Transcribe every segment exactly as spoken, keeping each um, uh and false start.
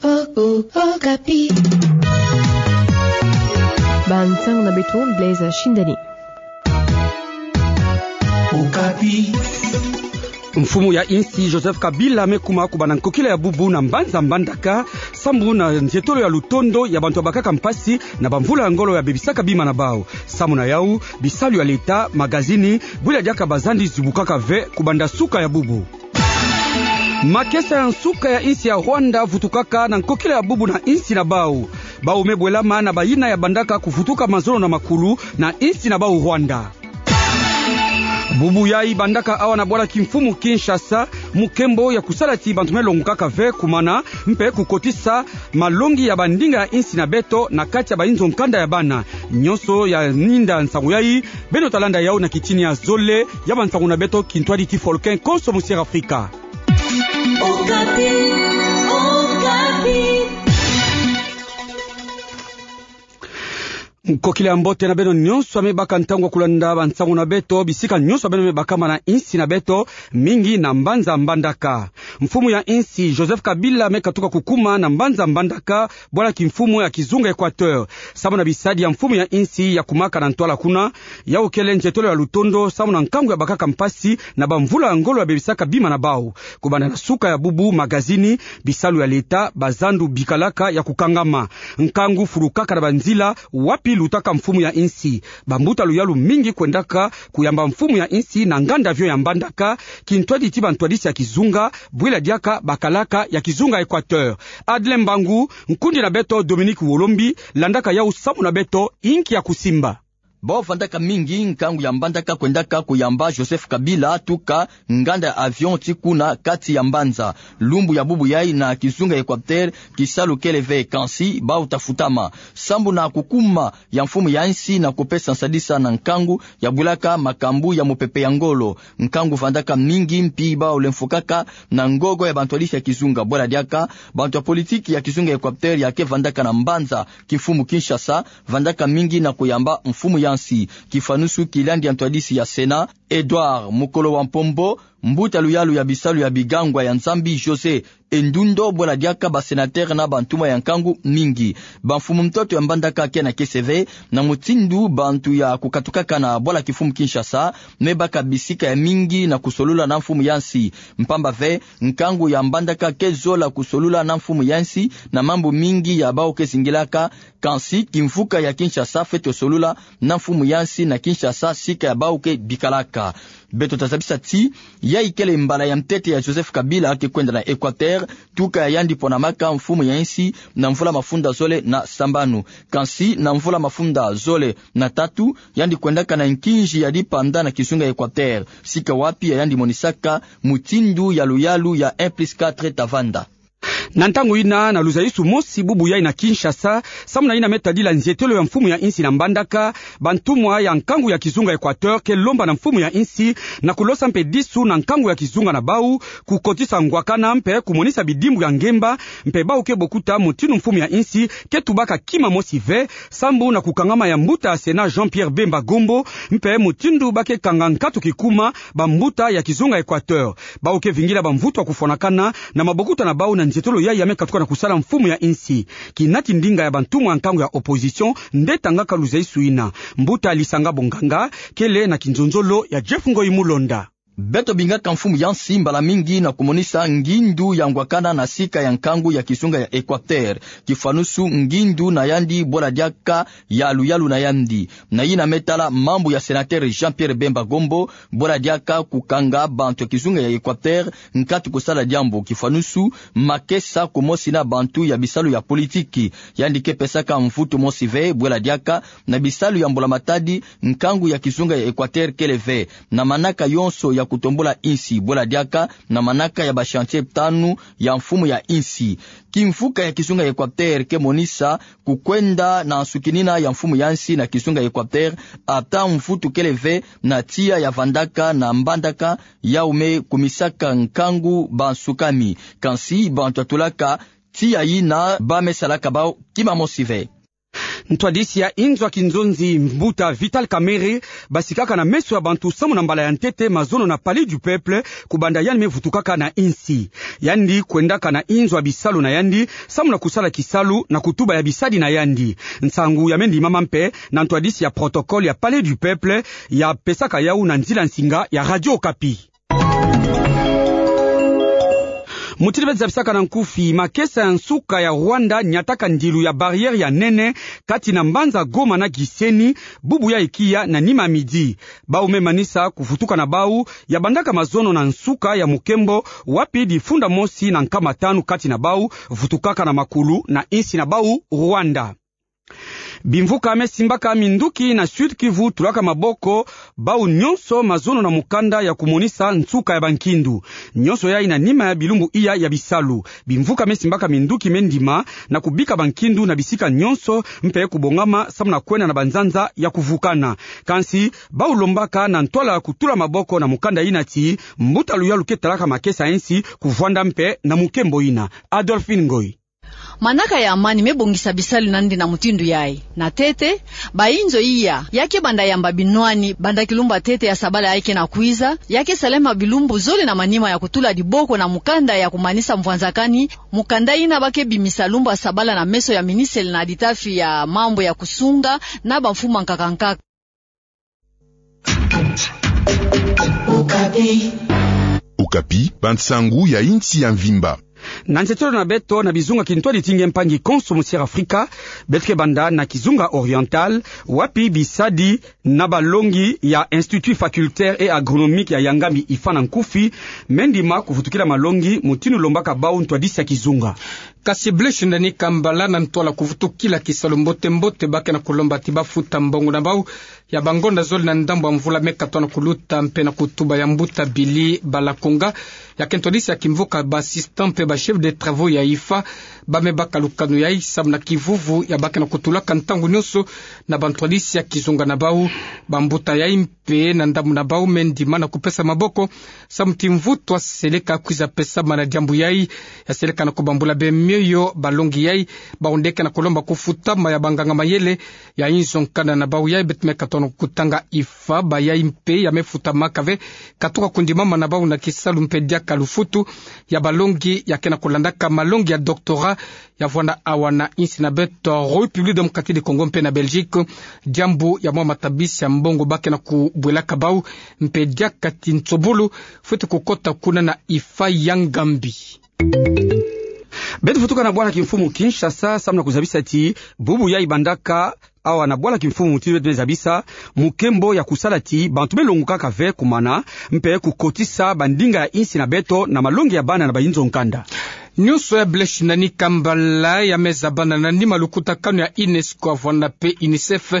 Okapi. Bansango na beto, Blaise Shindani. Okapi. Mfumu ya insi Joseph Kabila me kuma kubanda nkokila ya bubu na mbanza Mbandaka, sambu na nzietolo ya lutondo ya bantu ya bakaka mpasi na bamvula ya ngolo ya bebisaka bima na bau. Sambu na yau, bisalu ya leta, magazini, bwila diaka bazandi zibukaka ve kubanda suka ya bubu. Makesa ya nsuka ya insi ya Rwanda vutukaka na nkokila ya bubu na insi na bau. Bau me bwelama na bayina ya bandaka kuvutuka mazono na makulu na insi na bau Rwanda. Bubu yai bandaka awa na bwala kimfumu Kinshasa, mukembo ya kusala ti bantu me longukaka ve kumana, mpe kukotisa malongi ya bandinga ya insi na beto na kati ya bayinzo nkanda ya bana. Nyonso ya ninda nsangu yai, beno talanda yau na kitini ya zole ya bansangu na beto, kintwadi ti Folkin Konso, Musier Afrika. Okapi, Okapi. Nkokila ya mbote na beno nyonso ya me baka ntangu ya kulanda bansangu na beto, bisika nyonso ya beno me bakama na insi na beto, mingi na mbanza Mbandaka. Mfumu ya insi Joseph Kabila me katuka kukuma na mbanza Mbandaka, bwala kimfumu ya kizunga Equateur. Sambu na bisadi ya mfumu ya insi ya kumaka na ntwala kuna, yau kele nzietolo ya lutondo, sambu na nkangu ya bakaka mpasi na bamvula ya ngolo ya bebisaka bima na bau. Kubanda na suka ya bubu, magazini, bisalu ya leta, bazandu bikalaka ya kukangama. Nkangu fulukaka na banzila wapi lutaka mfumu ya insi. Bambuta luyalu mingi kwendaka kuyamba mfumu ya insi na nganda avion ya Mbandaka, kintwadi ti bantwadisi ya kizunga, bwila diaka bakalaka ya kizunga Equateur. Adle Mbangu, nkundi na beto Dominique Wolombi, landaka yau sambu na beto, inki ya kusimba. Bau vandaka mingi nkangu ya Mbandaka kwendaka kuyamba Joseph Kabila tuka nganda ya avion ti kuna kati ya mbanza. Lumbu ya bubu yai na kizunga Equateur, kisalu kele ve, kansi bau tafutama. Sambu na kukuma ya mfumu ya insi na kupesa nsadisa na nkangu ya bwilaka makambu ya mupepe ya ngolo. Nkangu vandaka mingi mpi bau lemfokaka na ngogo ya bantwadisi ya kizunga. Bwala diaka, bantu ya politiki ya kizunga Equateur ya ke vandaka na mbanza kimfumu Kinshasa, vandaka mingi na kuyamba mfumu ya insi. Kifanusu kiliandi ya ntwadisi ya Sénat, Edouard Mokolo wa Mpombo, mbuta luyalu ya bisalu ya bigangwa ya Nzambi José Endundo, bwela diaka ba sénateur na bantumwa ya nkangu mingi. Bamfumu ntoto ya Mbandaka ke na kese ve na mutindu bantu ya kukatukaka na bwala kimfumu Kinshasa me baka bisika ya mingi na kusolula na mfumu ya insi. Mpamba ve, nkangu ya Mbandaka ke zola kusolula na mfumu ya insi na mambu mingi ya bau ke zingilaka, kansi kimvuka ya Kinshasa fwete solula na mfumu ya insi na Kinshasa, sika ya bau ke bikalaka. Beto tazabisa ti, yayi kele mbala ya ntete ya Joseph Kabila ke kwenda na Equateur, tuka ya yandi ponamaka mfumu ya insi na mvula mafunda zole na sambanu. Kansi na mvula mafunda zole na tatu, yandi kwendaka na nkinzi ya dipanda na kizunga Equateur, sika wapi ya yandi monisaka mutindu ya luyalu ya un plus quatre ta vanda. Na ntangu yina, na luzaisu mosi bubu yayi na Kinshasa, samu na yina me tadila nzietelo ya mfumu ya insi na Mbandaka, bantumwa ya nkangu ya kizunga Equateur ke lomba na mfumu ya insi na kulosa mpe disu na nkangu ya kizunga na bau, kukotisa ngwakana mpe kumonisa bidimbu ya ngemba, mpe bau ke bokuta mutindu mfumu ya insi ke tubaka kima mosi ve, sambu na kukangama ya mbuta ya Sénat Jean-Pierre Bemba Gombo, mpe mutindu ba ke kanga nkatu kikuma bambuta ya kizunga Equateur. Bau ke vingila bamvutu ya kufwanakana na mabokuta na bau na nzietolo yayi ya me katuka na kusala mfumu ya insi. Kinati ndinga ya bantumwa ya nkangu ya opposition nde tangaka luzaisu yina. Mbuta Lisanga Bonganga kele na kinzonzolo ya Jeff Ngoyi Mulonda. Beto bingaka mfumu ya insi mbala mingi na kumonisa ngindu ya ngwakana na sika ya nkangu ya kizunga ya Equateur. Kifanusu ngindu na yandi bwela diaka ya luyalu na yandi. Na yina me tala mambu ya sénateur Jean-Pierre Bemba Gombo, bwela diaka kukanga bantu ya kizunga ya Equateur nkatu kusala diambu. Kifanusu, makesa kumosi na bantu ya bisalu ya politiki. Yandi ke pesaka mvutu mosi ve, bwela diaka na bisalu ya mbula matadi, nkangu ya kizunga ya Equateur kele ve na manaka yonso ya kutombula insi, bwela diaka na manaka ya ba chantier tanu ya mfumu ya insi. Kimvuka ya kizunga ya Equateur ke monisa kukwenda na nsukinina ya mfumu ya insi na kizunga ya Equateur, ata mvutu kele ve na tiya ya vandaka na Mbandaka, yau me kumisaka nkangu bansukami. Kansi bantu ya tulaka tiya yina ba me salaka bau kima mosi ve. Ntwadisi ya inzo ya kinzonzi, mbuta Vital Kamerhe, basikaka na meso ya bantu samu na mbala ya ntete mazono na Palais du Peuple, kubanda yandi me vutukaka na insi. Yandi kwendaka na inzo ya bisalu na yandi samu na kusala kisalu na kutuba ya bisadi na yandi. Nsangu ya me ndimama mpe na ntwadisi ya protocole ya Palais du Peuple, ya pesaka yawu na nzila nsinga ya Radio Okapi. Mutindu beto zabisaka na nkufi, makesa ya nsuka ya Rwanda nyataka ndilu ya barrière ya nene kati na mbanza Goma na Gisenyi, bubu ya ikiya na nima midi. Bawu me manisa kuvutuka na bawu ya bandaka mazono na nsuka ya mukembo, wapi difunda mosi na nkama tanu kati na bawu vutukaka na makulu na insi na bawu Rwanda. Bimvuka me simbaka minduki na Sud-Kivu tulaka maboko bawu nyonso mazono na mukanda ya kumonisa nsuka ya bankindu. Nyonso yayi na nima ya bilumbu iya ya bisalu. Bimvuka me simbaka minduki me ndima na kubika bankindu na bisika nyonso mpe kubongama samu na kwenda na banzanza ya kuvukana. Kansi bawu lombaka na ntwala kutula maboko na mukanda yina ti mbuta luyalu ke talaka makesa ya insi kuvwanda mpe na mukembo yina. Adolphine Ngoy. Manaka ya amani me bongisa bisalu na yandi na mutindu yayi. Na ntete, bayinzo iya, ya ke banda yamba binwani, banda kilumbu ya ntete ya sabala yayi ke na kwiza, ya ke salema bilumbu zole na manima ya kutula diboko na mukanda ya kumanisa mvwanzakani, mukanda yina ba ke bimisa lumbu ya sabala na meso ya ministre na litafi ya mambu ya kusunga na bamfumu ya nkaka nkaka. Okapi, bansangu ya insi ya mvimba. Na nzietolo na beto na bizunga kintwadi ti nge mpangi konso mu Sierra Afrika, beto ke banda na kizunga oriental, wapi bisadi na balongi ya Institut facultaire et agronomique ya Yangami, IFA na nkufi, me ndima kuvutukila malongi mutindu lombaka bawu ntwadisi ya kizunga. Kasi Blaise Ndani Kambala, na ntwala kuvutukila kisalu mbote mbote, ba ke na kulomba ti bafuta mbongo na bawu ya bangonda zole na ndambu ya mvula me katuka na kuluta, mpe na kutuba ya mbuta Billy Balakonga, ya ke ntwadisi ya kimvuka, ba assistant mpe ba chef de travaux ya IFA, ba me baka lukanu yayi samu na kivuvu ya ba ke na kutulaka ntangu nyonso na bantwadisi ya kizunga na bawu. Bambuta yayi mpe na ndambu na bawu me ndima na kupesa maboko samu ti mvutu ya seleka kwiza pesama na diambu yayi, ya seleka na kubambula be mioyo balongi yayi, bawu nde ke na kulomba kufutama ya banganga mayele ya inzo nkanda na bawu yayi. Beto me katuka na kutanga IFA, bayayi mpe ya me futamaka ve, katuka kundimama na bawu na kisalu mpe diaka lufutu ya balongi ya ke na kulandaka malongi ya doctorat ya vwanda awa na insi na beto République Démocratique du Congo mpe na Belgique, diambu ya mwa matabisi ya mbongo ba ke na kubwelaka bawu, mpe diaka ti nsobolo fwete kukota kuna na IFA Yangami. Beto vutuka na bwala kimfumu Kinshasa, samu na kuzabisa ti bubu yayi bandaka awa na bwala kimfumu ti beto me zabisa mukembo ya kusala ti bantu me longukaka ve kumana, mpe kukotisa bandinga ya insi na beto na malongi ya bana na bayinzo nkanda. Nyonso ya Blaise Ndani Kambala ya me zabana na nima lukutakanu ya UNESCO ya vwanda mpe UNICEF,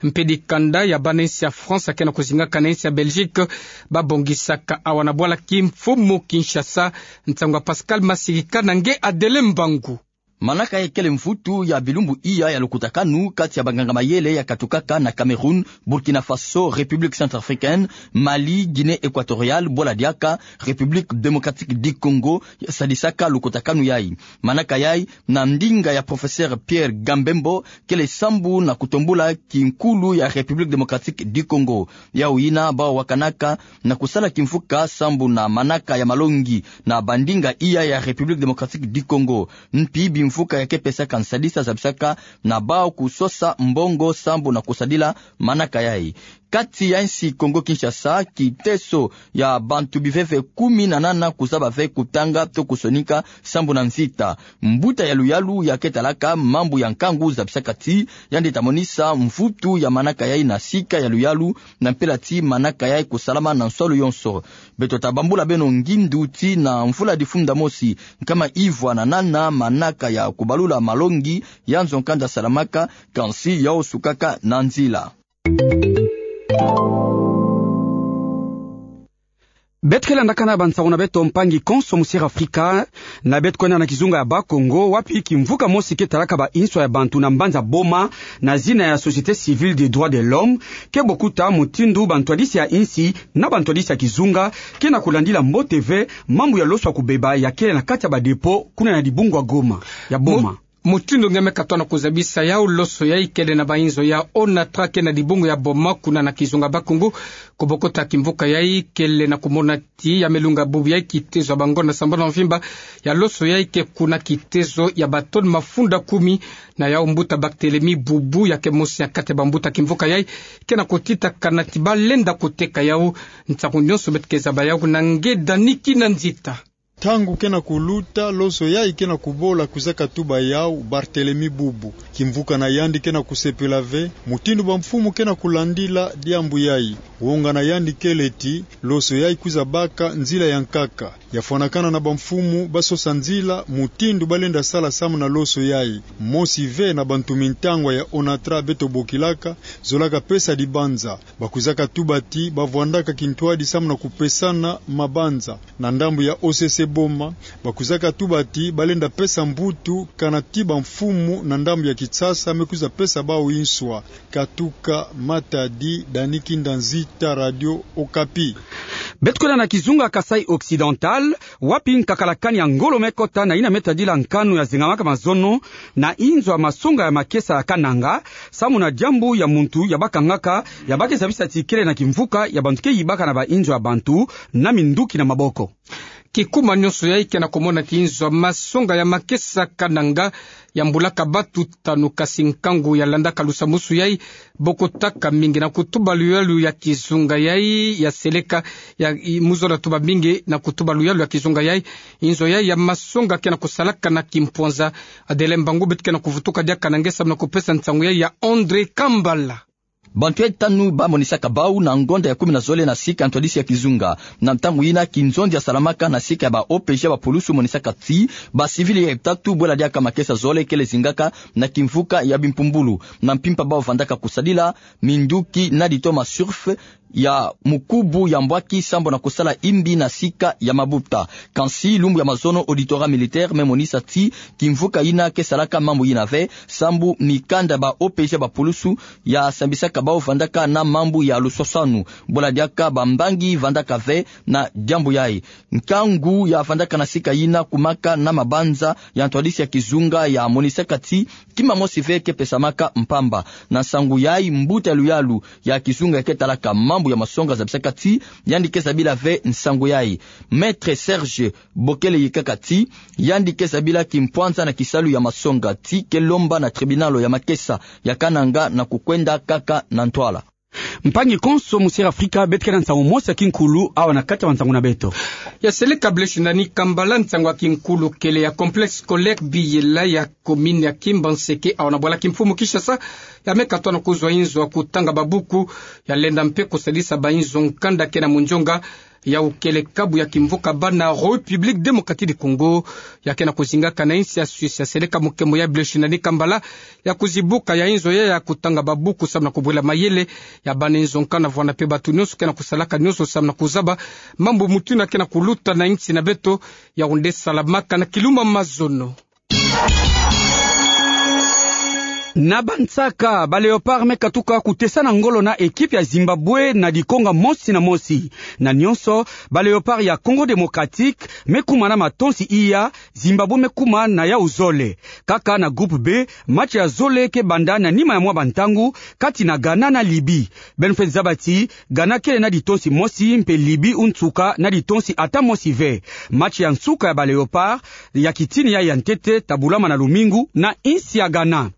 mpe dikanda ya bana insi ya France ya ke na kuzingaka na insi ya Belgique, ba bongisaka awa na bwala kimfumu Kinshasa. Nsangu ya Pascal Masirika na nge Adele Mbangu. Manaka yayi kele mvutu ya bilumbu iya ya lukutakanu kati ya banganga mayele ya katukaka na Cameroun, Burkina Faso, République Centrafricaine, Mali, Guinée Équatoriale, bwala diaka République Démocratique du Congo, ya sadisaka lukutakanu yayi. Manaka yayi, na ndinga ya professeur Pierre Gambembo, kele sambu na kutombula kinkulu ya République Démocratique du Congo. Yawu yina bawu wakanaka na kusala kimvuka sambu na manaka ya malongi na bandinga iya ya République Démocratique du Congo. Mpi bimvuka ya ke pesaka nsadisa zabisaka na bawu kusosa mbongo sambu na kusadila manaka yayi. Kati ya insi Congo Kinshasa, kiteso ya bantu biveve kumi na nana kuzaba ve kutanga to kusonika sambu na mvita. Mbuta ya luyalu ya ke talaka mambu ya nkangu zabisaka ti yandi ta monisa mvutu ya manaka yayi na sika ya luyalu, na mpila ti manaka yayi kusalama na nswalu yonso. Beto ta bambula beno ngindu ti na mvula difunda mosi, nkama ivwa na nana manaka ya kubalula malongi ya nzo nkanda salamaka, kansi yawu sukaka na nzila. Beto ke landakana bansangu na beto mpangi konso mu Sierra Afrika, na beto kwenda na kizunga ya Bas-Congo, wapi kimvuka mosi ke talaka ba inswa ya bantu na mbanza Boma, na zina ya Société Civile des Droits de l'Homme, ke bokuta mutindu bantwadisi ya insi na bantwadisi ya kizunga ke na kulandila mbote ve mambu ya loso ya kubeba ya kele na kati ya ba dépôt kuna na dibungu ya Goma, ya Boma. Mutindu nge me katona kuzabisa yau, loso yai kele na bainzo ya ONATRA ke na dibungu ya Boma kuna na kizunga Bakungu. Kubokota kimvuka yai kele na kumona ti ya melunga bubu yai kitezo ya bangonda sambanu na mvimba ya loso yai ke kuna kitezo ya batoni mafunda kumi. Na yau mbuta Barthélemy Bubu ya ke mosi ya kati ya bambuta kimvuka yai ke na kutitakana ti balenda kuteka yau. Ntangu nyonso beto ke zaba yau na nge Dani Kinanzita. Ntangu ke na kuluta, loso yai ke na kubola kwiza katuba yau Barthélemy Bubu. Kimvuka na yandi ke na kusepela ve mutindu bamfumu ke na kulandila diambu yai. Wonga na yandi kele ti loso yai kwiza baka nzila ya nkaka. Ya fwanakana na bamfumu basosa nzila mutindu balenda sala samu na loso yai. Mosi ve na bantu mintangwa ya ONATRA beto bokilaka, zolaka pesa dibanza. Bakwizaka tuba ti bavwandaka kintwadi samu na kupesana mabanza. Na ndambu ya O C C Boma, bakwizaka tuba ti balenda pesa mvutu kana ti bamfumu na ndambu ya Kinshasa me kwiza pesa bau inswa. Katuka Matadi, Dani Kinanzita, Radio Okapi. Beto kwenda na kizunga Kasaï Occidental, wapi nkakalakani ya ngolo me kota na yina me tadila nkanu ya zengamaka mazono na inzo ya masonga ya makesa ya Kananga, samu na diambu ya muntu ya bakangaka, ya ba ke zabisa ti kele na kimvuka ya bantu ke yibaka na bainzo ya bantu na minduki na maboko. Kikuma nyonso yai ke na kumona ti inzo ya masonga ya makesa Kananga ya mbulaka batu tanu, kasi nkangu ya landaka lusambwasu yai bokotaka mingi na kutuba luyalu ya kizunga yai ya seleka ya i-, muzola tuba mingi na kutuba luyalu ya kizunga yai. Inzo yai ya masonga ke na kusalaka na kimpwanza. Adelin Mbangu beto ke na kuvutuka diaka na nge samu na kupesa nsangu yai ya André Kambala. Bantu yai tanu bamonisaka bau na ngonda ya kumi na zole na sika ya ntwadisi ya kizunga. Na ntangu yina kinzonzi ya salamaka na sika ya ba O P G ya bapulusu monisaka ti bacivil yai tatu bwela diaka makesa zole kele zingaka na kimvuka ya bimpumbulu. Na mpimpa bau vandaka kusadila minduki na ditoma surf ya mukubu ya mbwaki sambu na kusala imbi na sika ya mabuta. Kansi lumbu ya mazono auditorat militaire me monisa ti kimvuka yina ke salaka mambu yina ve, sambu mikanda ba O P G ya bapulusu ya sambisaka bau vandaka na mambu ya luswaswanu. Bwela diaka bambangi vandaka ve na diambu yai. Nkangu ya vandaka na sika yina kumaka na mabanza ya ntwadisi ya kizunga ya monisaka ti kima mosi ve ke pesamaka mpamba. Na nsangu yai, mbuta ya luyalu ya kizunga ya ke talaka mambu ya masonga zabisaka ti yandi ke zabila ve nsangu yai. Maître Serge Bokele yikaka ti yandi ke zabila kimpwanza na kisalu ya masonga ti ke lomba na tribunal ya makesa ya Kananga na kukwenda kaka na ntwala. Mpangi konso mu Sierra Africa, beto ke na nsangu mosi ya kinkulu awa na kati ya bansangu na beto. Ya seleka Blaise Nani Kambala, nsangu ya kinkulu kele ya complexe scolaire Biyela ya commune ya Kimbanseke awa na bwala kimfumu Kinshasa, ya me katona kuzwa inzo ya kutanga babuku, ya lenda mpe kusadisa bainzo nkanda ke na munzonga, ya ukele kabu ya kimvuka bana République Démocratique du Congo, ya ke na kuzingaka na insi ya Suisse. Ya seleka mukembo ya Blaise Nani Kambala ya kuzibuka ya inzo yai ya kutanga babuku samu na kubwela mayele ya bana inzo nkanda, vwanda mpe batu nyonso ke na kusalaka nyonso samu na kuzaba mambu mutu yina ke na kuluta na insi na beto. Yaoundé, salamaka na Kiluma Mazono. Na bansaka, ba Léopards me katuka kutesana ngolo na ekipe ya Zimbabwe na dikonga mosi na mosi. Na nyonso, ba Léopards ya Congo Démocratique me kuma na matonsi iya, Zimbabwe me kuma na yau zole. Kaka na groupe B, match ya zole ke banda na nima ya mwa bantangu, kati na Ghana na Libye. Beno fweti zaba ti Ghana kele na ditonsi mosi, mpe Libye unsuka na ditonsi ata mosi ve. Match ya nsuka ya ba Léopards ya kitini ya ya ntete ta bulama na lumingu na insi ya Ghana.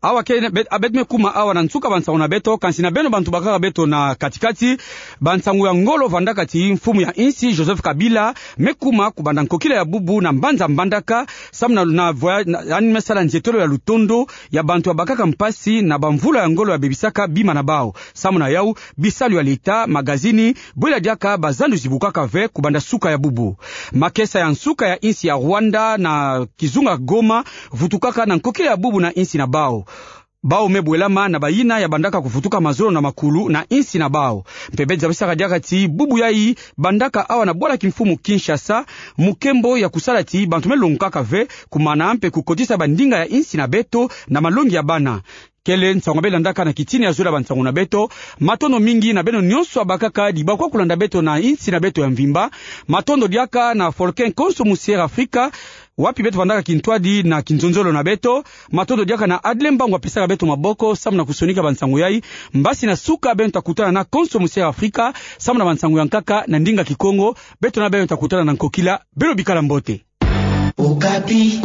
Awa ke, bet-, a beto me kuma awa na nsuka bansangu na beto, kansi na beno bantu bakaka beto na kati-kati, bansangu ya ngolo vandaka ti mfumu ya insi Joseph Kabila me kuma kubanda nkokila ya bubu na mbanza Mbandaka, samu na, na voya-, na, yandi me sala nzietolo ya lutondo ya bantu ya bakaka mpasi na bamvula ya ngolo ya bebisaka bima na bau. Samu na yau, bisalu ya leta, magazini, bwela diaka bazandu zibukaka ve kubanda suka ya bubu. Makesa ya nsuka ya insi ya Rwanda na kizunga Goma vutukaka na nkokila ya bubu na insi na bau. Bau me bwelama na bayina ya bandaka kuvutuka mazono na makulu na insi na bau. Mpe beto zabisaka diaka ti bubu yai bandaka awa na bwala kimfumu Kinshasa, mukembo ya kusala ti bantu me longukaka ve kumana mpe kukotisa bandinga ya insi na beto na malongi ya bana. Kele nsangu beto landaka na kitini ya zole ya bansangu na beto. Matondo mingi na beno nyonso ya bakaka dibakwa kulanda beto na insi na beto ya mvimba. Matondo diaka na Folken konso mu Sierra Africa, wapi beto vandaka kintwadi na kinzonzolo na beto. Matondo diaka na Adlin Mbangu apesaka beto maboko samu na kusonika bansangu yai. Mbasi na suka beno ta kutana na Konso Musi ya Afrika samu na bansangu ya nkaka na ndinga Kikongo. Beto na beno ta kutana na nkokila. Beno bikala mbote. Okapi.